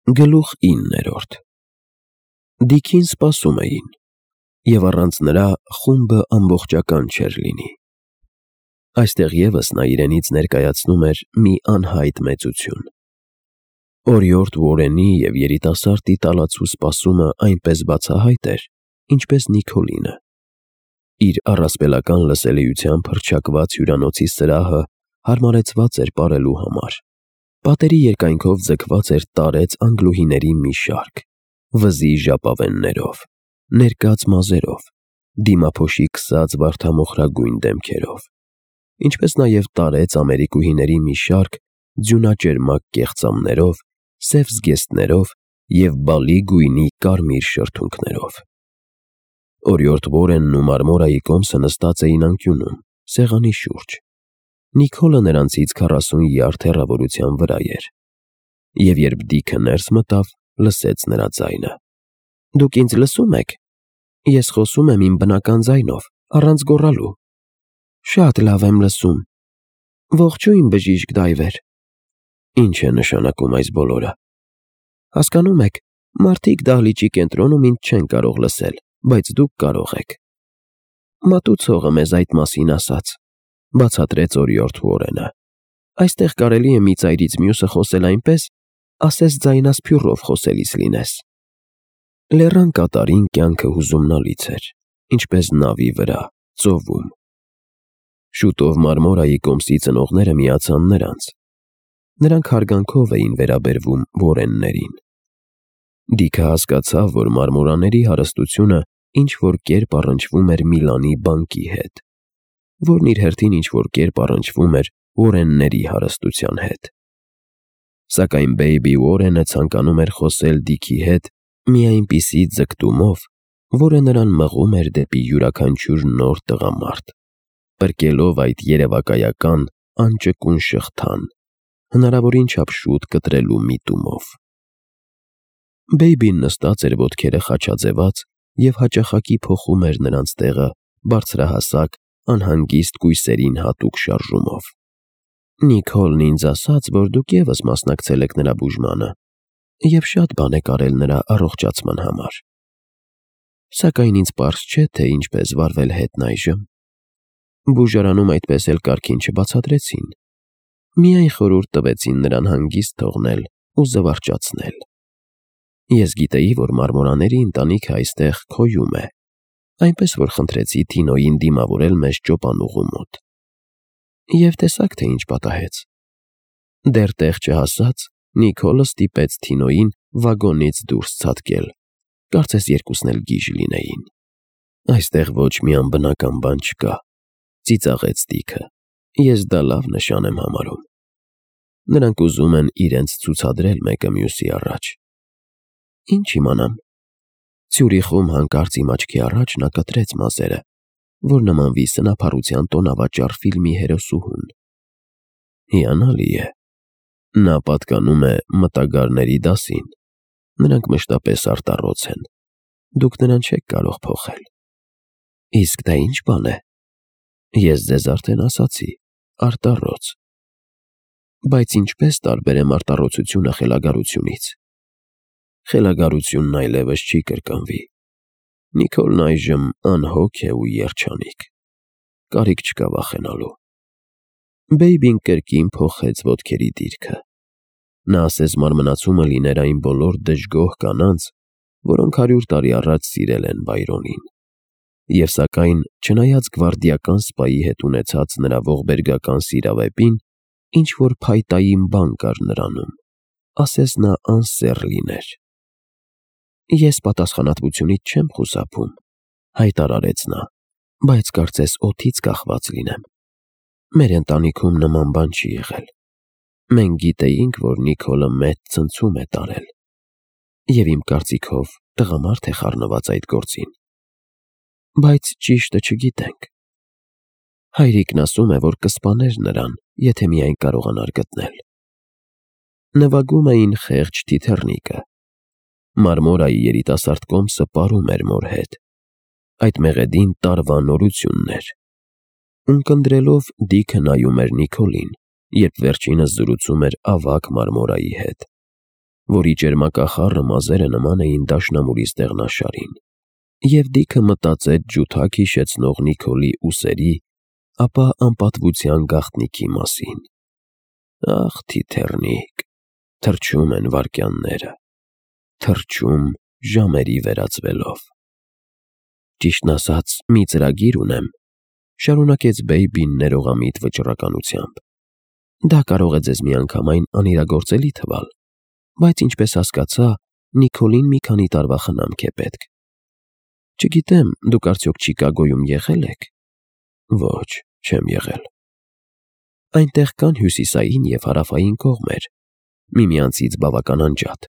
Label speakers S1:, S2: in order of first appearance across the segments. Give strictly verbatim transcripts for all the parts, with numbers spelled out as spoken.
S1: Գլուխ իններորդ Դիքին սպասում էին, և առանց նրա խումբը ամբողջական չէր լինի։ Այստեղ ևս նա իրենից ներկայացնում էր մի անհայտ մեծություն։ Օրիորդ Ուորենի և երիտասարդի տալացու սպասումը այնպես բացահայտ էր, ինչպես Նիքոլինը։ Իր առասպելական լսելիությամբ հռչակված հյուրանոցի սրահը հարմարեցված էր պարելու համար։ Պատերի երկայնքով ձգված էր տարեց անգլուհիների մի շարք, վզի ժապավեններով, ներկած մազերով, դիմափոշի քսած վարդամոխրագույն դեմքերով, ինչպես նաև տարեց ամերիկուհիների մի շարք ձյունաճերմակ կեղծամներով, սև զգեստներով և բալի գույնի կարմիր շրթունքներով։ Օրիորդ Ուորենն ու Մարմորայի կոմսը նստած էին անկյունում, սեղանի շուրջ։ Նիքոլը նրանցից քառասուն յարդ հեռավորության վրա էր, և երբ Դիքը ներս մտավ, լսեց նրա ձայնը։ «Դուք ինձ լսո՞ւմ եք։ Ես խոսում եմ իմ բնական ձայնով, առանց գոռալու»։ «Շատ լավ եմ լսում։ Ողջույն, բժիշկ Դայվեր»։ «Ի՞նչ է նշանակում այս բոլորը»։ «Հասկանում եք, մարդիկ դահլիճի կենտրոնում ինձ չեն կարող լսել, բայց դուք կարող եք»։ «Մատուցողը մեզ այդ մասին ասաց», ֊ բացատրեց օրիորդ Ուորենը։ «Այստեղ կարելի է մի ծայրից մյուսը խոսել այնպես, ասես ձայնասփյուռով խոսելիս լինես»։ Լեռան կատարին կյանքը հուզումնալից էր, ինչպես նավի վրա, ծովում։ Շուտով Մարմորայի կոմսի ծնողները միացան նրանց։ Նրանք հարգանքով էին վերաբերվում Ուորեններին։ Դիքը հասկացավ, որ մարմորաների հարստությունը ինչ-որ կերպ առնչվում էր Միլանի բանկի հետ, որն իր հերթին ինչ-որ կերպ առնչվում էր Ուորենների հարստության հետ։ Սակայն բեյբի Ուորենը ցանկանում էր խոսել Դիքի հետ մի այնպիսի ձգտումով, որը նրան մղում էր դեպի յուրաքանչյուր նոր տղամարդ, պրկելով այդ երևակայական անճկուն շղթան, հնարավորին չափ շուտ կտրելու միտումով։ Բեյբին նստած էր ոտքերը խաչաձևած և հաճախակի փոխում էր նրանց տեղը բարձրահասակ, անհանգիստ կույսերին հատուկ շարժումով։ «Նիքոլն ինձ ասաց, որ դուք ևս մասնակցել եք նրա բուժմանը և շատ բաներ արել նրա առողջացման համար։ Սակայն ինձ պարզ չէ, թե ինչպես վարվել հետն այժմ։ Բուժարանում այդպես էլ կարգին չբացատրեցին, միայն խորհուրդ տվեցին նրան հանգիստ թողնել ու զվարճացնել։ Ես գիտեի, որ մարմորաների ընտանիքը այստեղ քոյում է, այնպես որ խնդրեցի Թինոյին դիմավորել մեզ ճոպանուղու մոտ։ Եվ տեսաք, թե ինչ պատահեց։ Դեռ տեղ չհասած, Նիքոլը ստիպեց Թինոյին վագոնից դուրս ցատկել, կարծես երկուսն էլ գիժ լինեին։ Այստեղ ոչ մի անբնական բան չկա, ծիծաղեց Դիքը։ Ես դա լավ նշան եմ համարում։ Նրանք ուզում են իրենց ցուցադրել մեկը մյուսի առաջ։ Ինչ իմանամ։ Ցյուրիխում հանկարծ իմ աչքի առաջ նա կտրեց մազերը, որ նմանվի սնափառության տոնավաճառ ֆիլմի հերոսուհուն։ Հիանալի է։ Նա պատկանում է մտագարների դասին։ Նրանք մշտապես արտառոց են։ Դուք նրան չեք կարող փոխել։ Իսկ դա ի՞նչ բան է։ Ես ձեզ արդեն ասացի, արտառոց։ Բայց ինչպես տարբերեմ արտառոցությունը խելագարությունից։ Խելագարությունն այլևս չի կրկնվի։ Նիքոլն այժմ անհոգ է ու երջանիկ։ Կարիք չկա վախենալու։ Բեյբին կրկին փոխեց ոտքերի դիրքը։ Նա ասես մարմնացումը լիներ այն բոլոր դժգոհ կանանց, որոնք հարյուր տարի առաջ սիրել են Բայրոնին։ Եվ սակայն, չնայած գվարդիական սպայի հետ ունեցած նրա ողբերգական սիրավեպին, ինչ-որ փայտային բան կար նրանում, ասես նա անսեռ լիներ։ Ես պատասխանատվությունից չեմ խուսափում, հայտարարեց նա, բայց կարծես օդից կախված լինեմ։ Մեր ընտանիքում նման բան չի եղել։ Մենք գիտեինք, որ Նիքոլը մեծ ցնցում է տարել։ Եվ իմ կարծիքով տղամարդ է խառնված այդ գործին։ Բայց ճիշտը չգիտենք։ Հայրիկն ասում է, որ կսպաներ նրան, եթե միայն կարողանար գտնել։ Նվագում էին խեղճ թիթեռնիկը։ Մարմորայի երիտասարդ կոմսը պարում էր մոր հետ։ Այդ մեղեդին տարվա նորությունն էր։ Ունկնդրելով Դիքը նայում էր Նիքոլին, երբ վերջինս զրուցում էր ավագ Մարմորայի հետ։ որի ճերմակախառը մազերը նման էին դաշնամուրի ստեղնաշարին, և Դիքը մտածեց ջութակ հիշեցնող Նիկոլի ուսերի, ապա անպատվության գաղտնիքի մասին։ Ախ, թիթեռնիկ, թռչում են վայրկյանները, թռչում ժամերի վերածվելով։ Ճիշտն ասած, մի ծրագիր ունեմ, շարունակեց Բեյբին ներողամիտ վճռականությամբ։ Դա կարող է ձեզ միանգամայն անիրագործելի թվալ, բայց ինչպես հասկացա, Նիկոլին մի քանի տարվա խնամք է պետք։ Չգիտեմ, դուք արդյոք Չիկագոյում եղե՞լ եք։ Ոչ, չեմ եղել։ Այնտեղ կան հյուսիսային և հարավային կողմեր, միմյանցից բավական անջատ։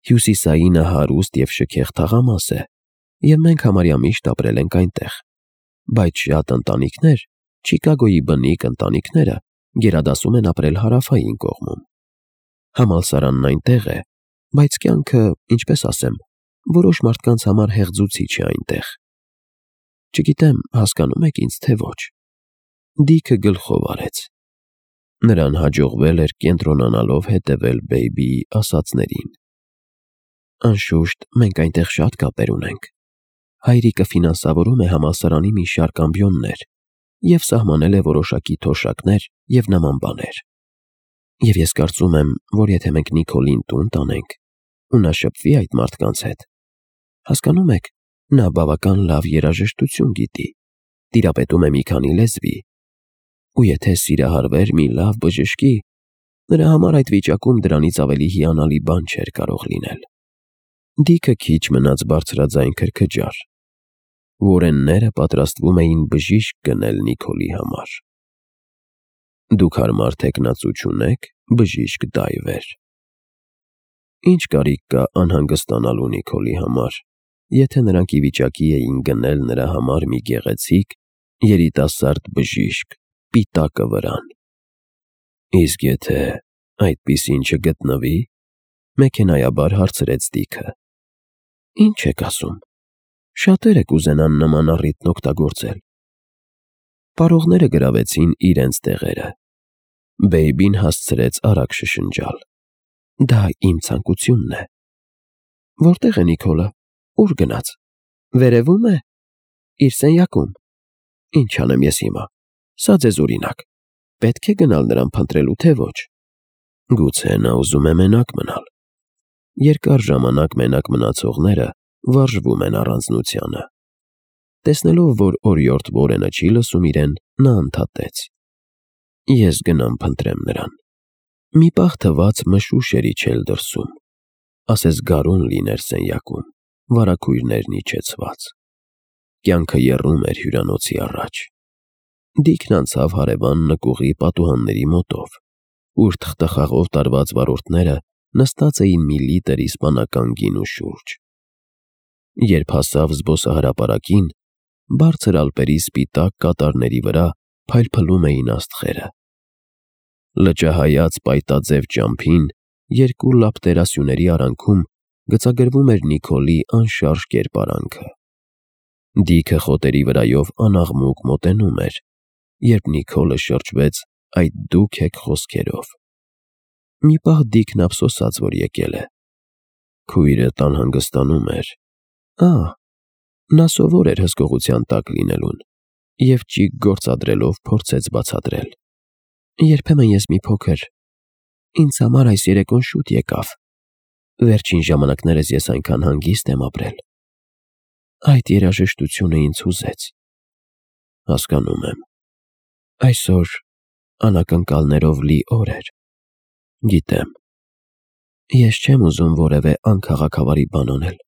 S1: Հյուսիսայինը հարուստ և շքեղ թաղամաս է, և մենք համարյա միշտ ապրել ենք այնտեղ, բայց շատ ընտանիքներ, Չիկագոյի բնիկ ընտանիքները, գերադասում են ապրել հարավային կողմում։ Համալսարանն այնտեղ է, բայց կյանքը, ինչպես ասեմ, որոշ մարդկանց համար հեղձուցիչ է այնտեղ։ Չգիտեմ, հասկանո՞ւմ եք ինձ, թե ոչ։ Դիքը գլխով արեց։ Նրան հաջողվել էր կենտրոնանալով հետևել Բեյբիի ասածներին։ Անշուշտ, մենք այնտեղ շատ կապեր ունենք։ Հայրիկը ֆինանսավորում է համալսարանի մի շարք ամբիոններ և սահմանել է որոշակի թոշակներ և նման բաներ։ Եվ ես կարծում եմ, որ եթե մենք Նիկոլին տուն տանենք, ու նա շփվի այդ մարդկանց հետ, հասկանո՞ւմ եք, նա բավական լավ երաժշտություն գիտի, տիրապետում է մի քանի լեզվի, ու եթե սիրահարվեր մի լավ բժշկի, նրա համար այդ վիճակում դրանից ավելի հիանալի բան չէր կարող լինել։ Դիքը քիչ մնաց բարձրաձայն քրքջար։ Որենները պատրաստվում էին բժիշկ գնել Նիկոլի համար։ Դուք հարմար թեկնածու չունեք, բժիշկ Դայվեր։ Ինչ կարիք կա անհանգստանալու Նիկոլի համար, եթե նրանք ի վիճակի էին գնել նրա համար մի գեղեցիկ, երիտասարդ բժիշկ պիտակը վրան։ Իսկ եթե այդպիսին չգտնվի, մեքենայաբար հարցրեց Դիքը։ Ինչ եք ասում։ Շատերը կուզենան նման առիթն օգտագործել։ Պարողները գրավեցին իրենց տեղերը։ Բեյբին հասցրեց արագ շշնջալ։ Դա իմ ցանկությունն է։ Որտե՞ղ է Նիկոլը, ուր գնաց։ Վերևո՞ւմ է։ Իր սենյակում։ Ինչ անեմ ես հիմա։ Սա ձեզ օրինակ։ Պետք է գնալ նրան փնտրելու, թե ոչ։ Գուցե նա ուզում է մենակ մնալ։ Երկար ժամանակ մենակ մնացողները վարժվում են առանձնությանը։ Տեսնելով, որ օրիորդ Որենը չի լսում իրեն, նա ընդհատեց. Ես գնամ փնտրեմ նրան։ Մի պահ թվաց մշուշ էր իջել դրսում, ասես գարուն լիներ սենյակում, վարագույրներն իջեցված։ Կյանքը եռում էր հյուրանոցի առաջ։ Դիքն անցավ հարևան նկուղի պատուհանների մոտով, ուր թխթխաղով տարված վարորդները նստած էին մի լիտր իսպանական գինու շուրջ։ Երբ հասավ զբոսահրապարակին, բարձր ալպերի սպիտակ կատարների վրա փայլփլում էին աստղերը։ Լճահայաց պայտաձև ճամփին երկու լապտերասյուների արանքում գծագրվում էր Նիկոլի անշարժ կերպարանքը։ Դիքը խոտերի վրայով անաղմուկ մոտենում էր, երբ Նիկոլը շրջվեց այդ դուք եք խոսքերով։ Մի պահ Դիքն ափսոսաց, որ եկել է։ Քույրդ անհանգստանում էր։ Ահ, նա սովոր էր հսկողության տակ լինելուն և ճիգ գործադրելով փորձեց բացատրել։ Երբեմն ես մի փոքր… Ինձ համար այս երեկոն շուտ եկավ։ Վերջին ժամանակներս ես այնքան հանգիստ եմ ապրել։ Այդ երաժշտությունը ինձ հուզեց։ Հասկանում եմ։ Այսօր անակնկալներով լի օր էր։ Գիտեմ։ Ես չեմ ուզում որևէ անքաղաքավարի բան անել։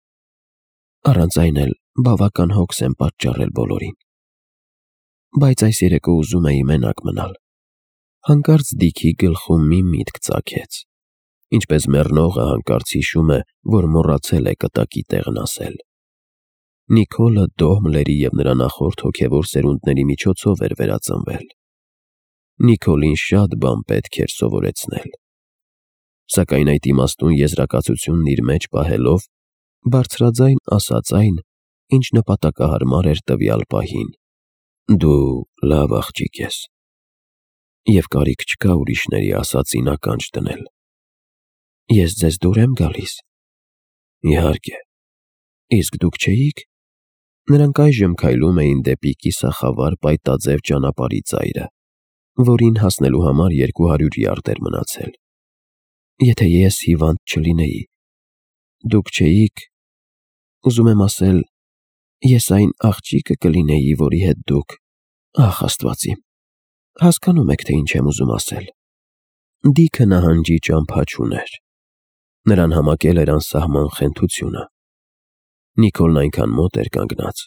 S1: Առանց այն էլ բավական հոգս եմ պատճառել բոլորին։ Բայց այս երեկո ուզում էի մենակ մնալ։ Հանկարծ Դիքի գլխում մի միտք ծագեց, ինչպես մեռնողը հանկարծ հիշում է, որ մոռացել է կտակի տեղն ասել։ Նիկոլը Դոհմլերի և նրա նախորդ հոգևոր սերունդների միջոցով էր վերածնվել։ Նիկոլին շատ բան պետք էր սովորեցնել։ Սակայն այդ իմաստուն եզրակացությունն իր մեջ պահելով, բարձրաձայն ասաց այն, ինչ նպատակահարմար էր տվյալ պահին. Դու լավ աղջիկ ես, և կարիք չկա ուրիշների ասածին ականջ դնել։ Ես ձեզ դուր եմ գալիս։ Իհարկե։ Իսկ դուք չէիք։ Նրանք այժմ քայլում էին դեպի կիսախավար պայտաձև ճանապարհի ծայրը, որին հասնելու համար երկու հարյուր յարդ էր մնացել։ Եթե ես հիվանդ չլինեի, դուք չէիք, ուզում եմ ասել, ես այն աղջիկը կլինեի, որի հետ դուք, ախ Աստված իմ, հասկանում եք, թե ինչ եմ ուզում ասել։ Դիքը նահանջի ճամփա չուներ։ Նրան համակել էր անսահման խենթությունը։ Նիկոլն այնքան մոտ էր կանգնած,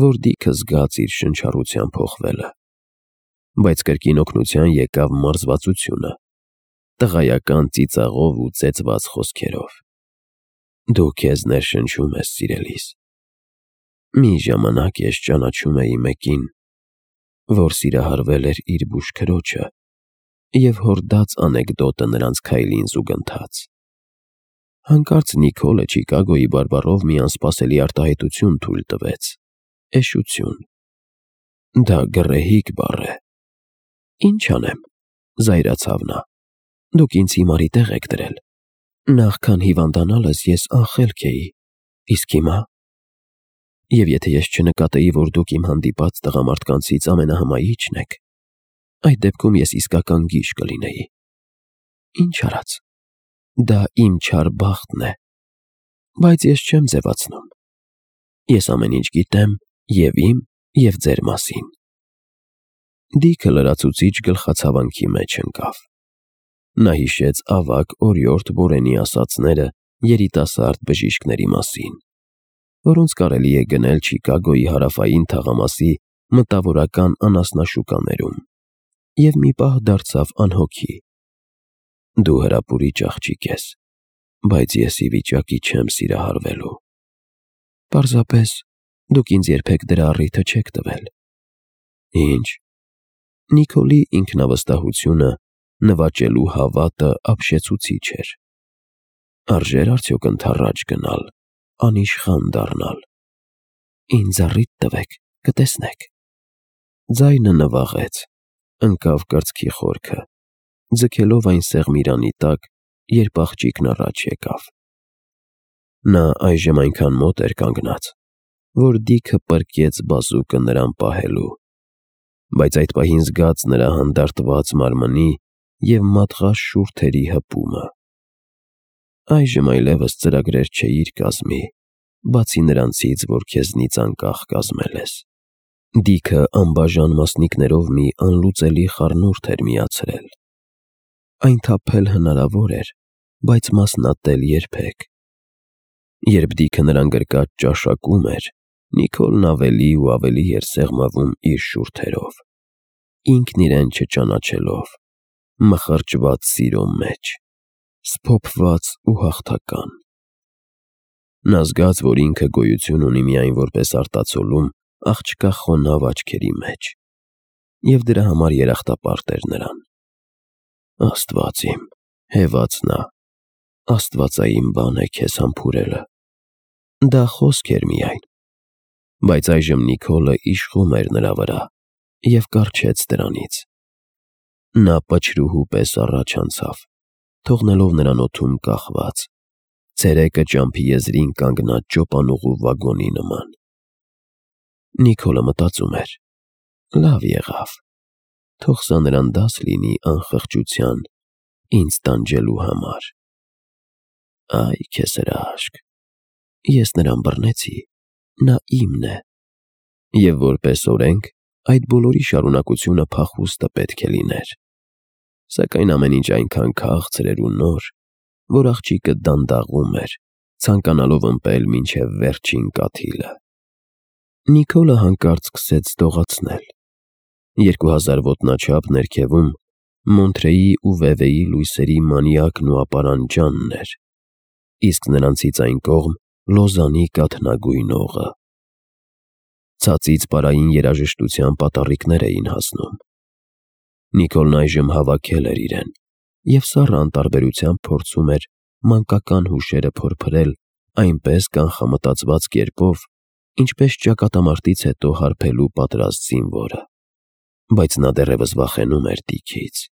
S1: որ Դիքը զգաց իր շնչառության փոխվելը։ Բայց կրկին օգնության եկավ մարզվածությունը, տղայական ծիծաղով ու ծեծված խոսքերով։ Դու քեզ ներշնչում ես, սիրելիս։ Մի ժամանակ ես ճանաչում էի մեկին, որ սիրահարվել էր իր բուժքրոջը և հորդաց անեկդոտը նրանց քայլին զուգընթաց։ Հանկարծ Նիկոլը Չիկագոյի բարբառով մի անսպասելի արտահայտություն թույլ տվեց. էշություն։ Դա գռեհիկ բառ է։ Ինչ անեմ, զայրացավ նա։ Դուք ինձ հիմարի տեղ եք դրել։ Նախքան հիվանդանալս ես անխելք էի, իսկ հիմա… Եվ եթե ես չնկատեի, որ դուք իմ հանդիպած տղամարդկանցից ամենահմայիչն եք, այդ դեպքում ես իսկական գիժ կլինեի։ Ինչ արած, դա իմ չար բախտն է, բայց ես չեմ ձևացնում։ Ես ամեն ինչ գիտեմ և իմ, և ձեր մասին։ Դիքը լրացուցիչ գլխացավանքի մեջ ընկավ։ Նա հիշեց ավագ օրիորդ Բորենի ասածները երիտասարդ բժիշկների մասին, որոնց կարելի է գնել Չիկագոյի հարավային թաղամասի մտավորական անասնաշուկաներում, և մի պահ դարձավ անհոգի։ Դու հրապուրիչ աղջիկ ես, բայց ես ի վիճակի չեմ սիրահարվելու։ Պարզապես դուք ինձ երբեք դրա առիթը չեք տվել։ Ինչ։ Նիկոլի ինքնավստահությունը նվաճելու հավատը ապշեցուցիչ էր։ Արժե՞ր արդյոք ընդառաջ գնալ, անիշխան դառնալ։ Ինձ առիթ տվեք, կտեսնեք։ Ձայնը նվաղեց, ընկավ կրծքի խորքը, ձգելով այն սեղմիրանի տակ, երբ աղջիկն առաջ եկավ։ Նա այժմ այնքան մոտ էր կանգնած, որ Դիքը պրկեց բազուկը նրան պահելու, բայց այդ պահին զգաց նրա հանդարտված մարմնի և մատղաշ շուրթերի հպումը։ Այժմ այլևս ծրագրեր չէիր կազմի, բացի նրանցից, որ քեզնից անկախ կազմել ես։ Դիքը անբաժան մասնիկներով մի անլուծելի խառնուրդ էր միացրել։ Այն թափել հնարավոր էր, բայց մասնատել երբեք։ Երբ Դիքը նրան գրկած ճաշակում էր, Նիկոլն ավելի ու ավելի էր սեղմվում իր շուրթերով, ինքն իրեն չճանաչելով, մխրճված սիրո մեջ, սփոփված ու հաղթական։ Նա զգաց, որ ինքը գոյություն ունի միայն որպես արտացոլում աղջկա խոնավ աչքերի մեջ, և դրա համար երախտապարտ էր նրան։ Աստված իմ, հևաց նա, աստվածային բան է քեզ համբուրելը։ Դա խոսք էր միայն, բայց այժմ Նիկոլը իշխում էր նրա վրա և կառչեց դրանից։ Նա պչրուհու պես առաջ անցավ, թողնելով նրան օդում կախված, ցերեկը ճամփի եզրին կանգնած ճոպանուղու վագոնի նման։ Նիկոլը մտածում էր. լավ եղավ, թող սա նրան դաս լինի անխղճության ինձ տանջելու համար։ Այ քեզ հրաշք, ես նրան բռնեցի, նա իմն է, և որպես օրենք այդ բոլորի շարունակությունը փախուստը պետք է լիներ, սակայն ամեն ինչ այնքան քաղցր էր ու նոր, որ աղջիկը դանդաղում էր, ցանկանալով ըմպել մինչև վերջին կաթիլը։ Նիկոլը հանկարծ սկսեց դողացնել։ Երկու հազար ոտնաչափ ներքևում Մոնտրեի ու Վևեի լույսերի մանյակն ու ապարանջանն էր, իսկ նրանցից այն կողմ Լոզանի կաթնագույն օղը։ Ցածից պարային երաժշտության պատառիկներ էին հասնում։ Նիկոլն այժմ հավաքել էր իրեն և սառը անտարբերությամբ փորձում էր մանկական հուշերը փորփրել այնպես կանխամտածված կերպով, ինչպես ճակատամարտից հետո հարբելու պատրաստ զինվորը։ Բայց նա դեռևս վախենում էր Դիքից,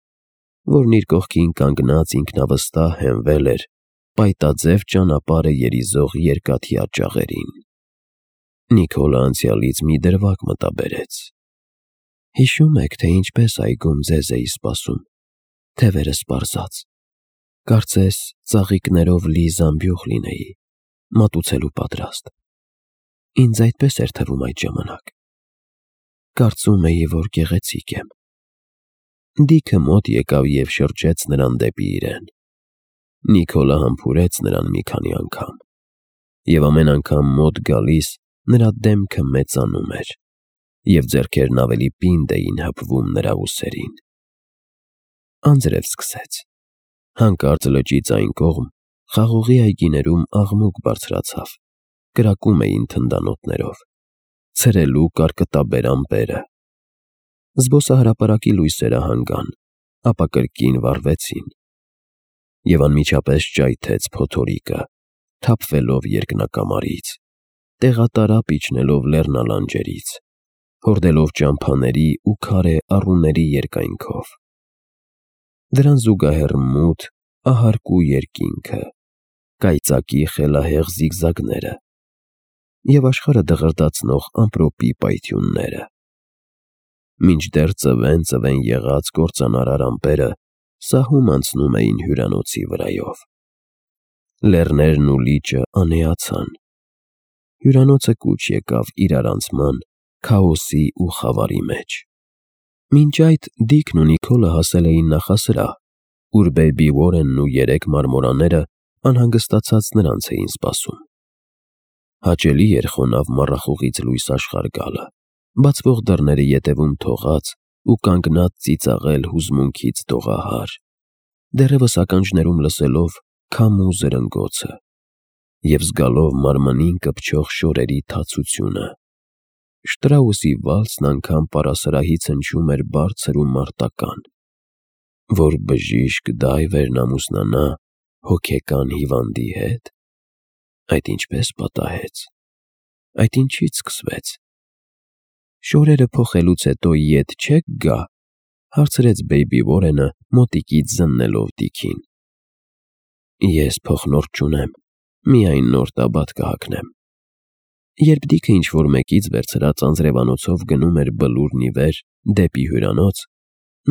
S1: որն իր կողքին կանգնած ինքնավստահ հենվել էր պայտաձև ճանապարհը երիզող երկաթյա ճաղերին։ Նիկոլը անցյալից մի դրվագ մտաբերեց։ Հիշում եք, թե ինչպես այգում ձեզ էի սպասում, թևերը սպառզած, կարծես ծաղիկներով լի զամբյուղ լինեի, մատուցելու պատրաստ։ Ինձ այդպես էր թվում այդ ժամանակ։ Կարծում էի, որ գեղեցիկ եմ։ Դիքը մոտ եկավ և շրջեց նրան դեպի իրեն։ Նիկոլը համբուրեց նրան մի քանի անգամ, և ամեն անգամ մոտ գալիս նրա դեմքը մեծանում էր, և ձեռքերն ավելի պինդ էին հպվում նրա ուսերին։ Անձրև սկսեց։ Հանկարծ լճից այն կողմ խաղողի այգիներում աղմուկ բարձրացավ, կրակում էին թնդանոթներով, ցրելու կարկտաբեր ամպերը։ Զբոսահրապարակի լույսերը հանգան, ապա կրկին վառվեցին, և անմիջապես ճայթեց փոթորիկը, թափվելով երկնակամարից, տեղատարապ իջնելով լեռնալանջերից, հորդելով ճամփաների ու քարե առուների երկայնքով։ Դրան զուգահեռ մութ, ահարկու երկինքը, կայծակի խելահեղ զիգզագները և աշխարհը դղրդացնող ամպրոպի պայթյունները։ Մինչդեռ ծվեն-ծվեն եղած կործանարար ամպերը սահում անցնում էին հյուրանոցի վրայով։ Լեռներն ու լիճը անեացան։ Հյուրանոցը կուչ եկավ իրարանցման, քաոսի ու խավարի մեջ։ Մինչ այդ Դիքն ու Նիկոլը հասել էին նախասրահ, ուր բեյբի Ուորենն ու երեք մարմորաները անհանգստացած նրանց էին սպասում։ Հաճելի էր խոնավ մառախուղից լույս աշխարհ գալը, բացվող դռները ետևում թողած ու կանգնած ծիծաղել հուզմունքից դողահար, դեռևս ականջներում լսելով քամու զրնգոցը և զգալով մարմնին կպչող շորերի թացությունը։ Շտրաուսի վալսն անգամ պարասրահից հնչում էր բարձր ու մարտական, որ բժիշկ դայվերն ամուսնանա հոգեկան հիվանդի հետ։ Այդ ինչպես պատահեց, այդ ինչից սկսվեց։ Շորերը փոխելուց հետո ետ չե՞ք գա, հարցրեց բեյբի Ուորենը մոտիկից զննելով Դիքին։ Ես փոխնորդ չունեմ, միայն նոր տաբատ կհագնեմ։ Երբ Դիքը ինչ-որ մեկից վերցրած անձրևանոցով գնում էր բլուրն ի վեր դեպի հյուրանոց,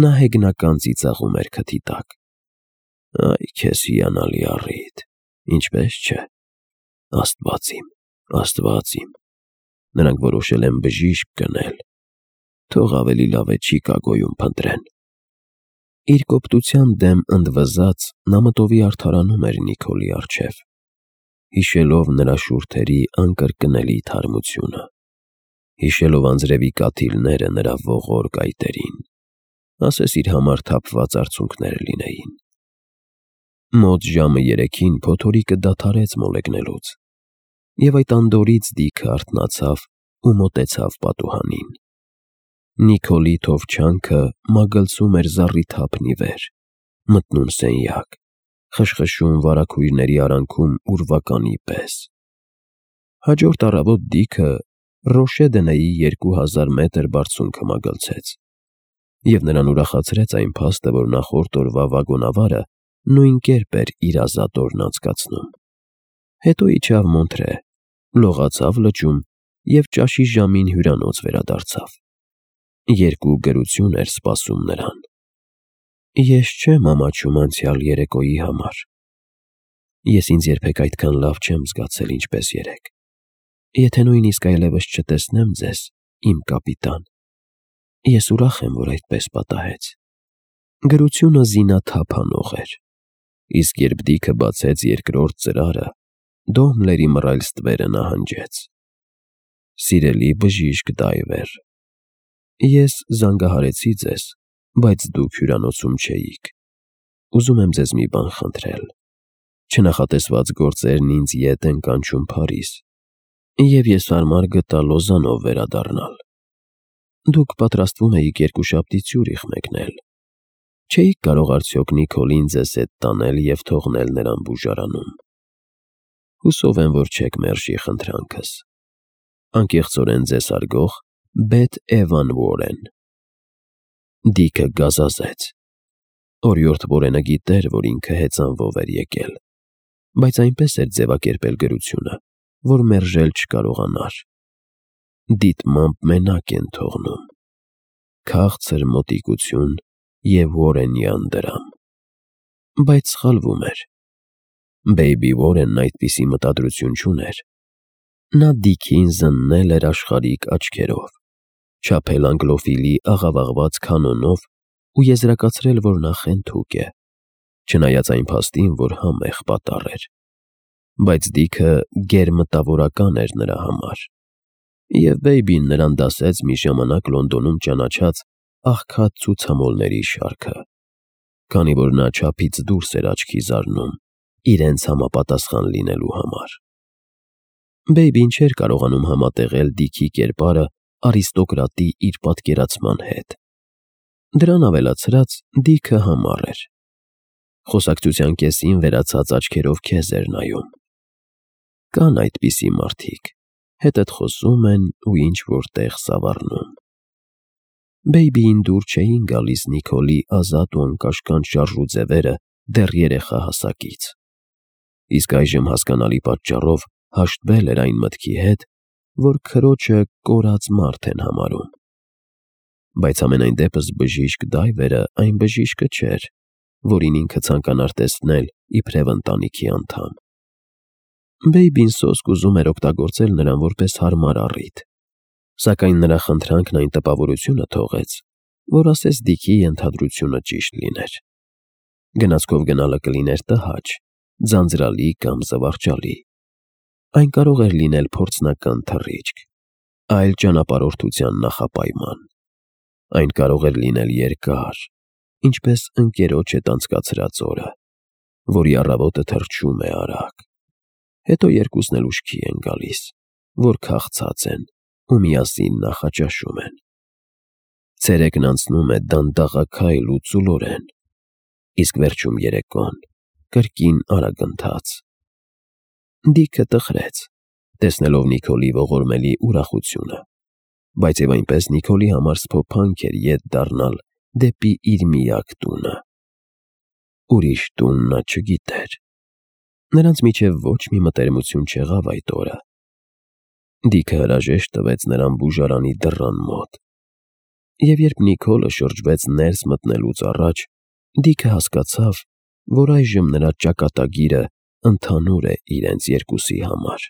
S1: նա հեգնական ծիծաղում էր քթի տակ։ Այ քեզ հիանալի առիթ, ինչպես չէ։ Աստված իմ, Աստված իմ, նրանք որոշել են բժիշկ գնել, թող ավելի լավ է Չիկագոյում փնտրեն։ Իր կոպտության դեմ ընդվզած նա մտովի արդարանում էր Նիկոլի առջև, հիշելով նրա շուրթերի անկրկնելի թարմությունը, հիշելով անձրևի կաթիլները նրա ողոր կայտերին, ասես իր համար թափված արցունքներ լինեին։ Մոտ ժամը երեքին փոթորիկը դադարեց մոլեգնելուց, և այդ անդորրից Դիքը արթնացավ ու մոտեցավ պատուհանին։ Նիկոլի թովչանքը մագլցում էր զառիթափն ի վեր, մտնում սենյակ, խշխշում վարագույրների արանքում ուրվականի պես։ Հաջորդ առավոտ Դիքը Ռոշե-Դնեի երկու հազար մետր բարձունքը մագլցեց, և նրան ուրախացրեց այն փաստը, որ նախորդ օրվա վագոնավարը նույն կերպ էր իր ազատ օրն անցկացնում։ Հետո իջավ Մոնթրե, լողացավ լճում և ճաշի ժամին հյուրանոց վերադարձավ։ Երկու գրություն էր սպասում նրան։ Ես չեմ ամաչում անցյալ երեկոյի համար։ Ես ինձ երբեք այդքան լավ չեմ զգացել, ինչպես երեկ։ Եթե նույնիսկ այլևս չտեսնեմ ձեզ, իմ կապիտան, ես ուրախ եմ, որ այդպես պատահեց։ Գրությունը զինաթափ անող էր, իսկ երբ Դիքը բացեց երկրորդ ծրարը, Դոհմլերի մռայլ ստվերը նահանջեց. Սիրելի բժիշկ Դայվեր, ես զանգահարեցի ձեզ, բայց դուք հյուրանոցում չէիք։ Ուզում եմ ձեզ մի բան խնդրել։ Չնախատեսված գործերն ինձ ետ են կանչում Փարիզ, և ես հարմար գտա Լոզանով վերադառնալ։ Դուք պատրաստվում էիք երկուշաբթի Ցյուրիխ մեկնել։ Չէի՞ք կարող արդյոք Նիկոլին ձեզ հետ տանել և թողնել նրան բուժարանում։ Հուսով եմ, որ չեք մերժի խնդրանքս։ Անկեղծորեն ձեզ հարգող Բեթ Էվան Ուորեն։ Դիքը գազազեց։ Օրիորդ Ուորենը գիտեր, որ ինքը հեծանվով էր եկել։ բայց այնպես էր ձևակերպել գրությունը, որ մերժել չկարողանար. դիտմամբ մենակ են թողնում, քաղցր մոտիկություն և Ուորենյան դրամ։ Բայց սխալվում էր. Բեյբի Ուորենն այդպիսի մտադրություն չուներ։ Նա Դիքին զննել էր աշխարհիկ աչքերով, չափել անգլոֆիլի աղավաղված կանոնով ու եզրակացրել, որ նա խենթուկ է, չնայած այն փաստին, որ համեղ պատառ էր։ Բայց Դիքը գերմտավորական էր նրա համար, և Բեյբին նրան դասեց մի ժամանակ Լոնդոնում ճանաչած աղքատ ցուցամոլների շարքը, քանի որ նա չափից դուրս էր աչքի զարնում իրենց համապատասխան լինելու համար։ Բեյբին չէր կարողանում համատեղել Դիքի կերպարը արիստոկրատի իր պատկերացման հետ։ Դրան ավելացրած Դիքը համառ էր, խոսակցության կեսին վերացած աչքերով քեզ էր նայում։ Կան այդպիսի մարդիկ, հետդ խոսում են ու ինչ-որ տեղ սավառնում։ Բեյբիին դուր չէին գալիս Նիկոլի ազատ ու անկաշկանդ շարժու ձևերը դեռ երեխա հասակից, իսկ այժմ հասկանալի պատճառով հաշտվել էր այն մտքի հետ, որ քրոջը կորած մարդ են համարում։ Բայց համենայն դեպս բժիշկ Դայվերը այն բժիշկը չէր, որին ինքը ցանկանար տեսնել իբրև ընտանիքի անդամ։ Բեյբին սոսկ ուզում էր օգտագործել նրան որպես հարմար առիթ, սակայն նրա խնդրանքն այն տպավորությունը թողեց, որ ասես Դիքի ենթադրությունը ճիշտ լիներ։ Գնացքով գնալը կլիներ տհաճ, ձանձրալի կամ զվարճալի։ Այն կարող էր լինել փորձնական թռիչք, այլ ճանապարհորդության նախապայման։ Այն կարող էր լինել երկար, ինչպես ընկերոջ հետ անցկացրած օրը, որի առավոտը թռչում է արագ, հետո երկուսն էլ ուշքի են գալիս, որ քաղցած են ու միասին նախաճաշում են։ Ցերեկն անցնում է դանդաղաքայլ ու ծուլորեն, իսկ վերջում երեկոն կրկին արագընթաց։ Դիքը տխրեց, տեսնելով Նիկոլի ողորմելի ուրախությունը, բայց և այնպես Նիկոլի համար սփոփանք էր ետ դառնալ դեպի իր միակ տունը։ Ուրիշ տուն նա չգիտեր։ Նրանց միջև ոչ մի մտերմություն չեղավ այդ օրը։ Դիքը հրաժեշտ տվեց նրան բուժարանի դռան մոտ, և երբ Նիկոլը շրջվեց ներս մտնելուց առաջ, Դիքը հասկացավ, որ այժմ նրա ճակատագիրը ընդհանուր է իրենց երկուսի համար։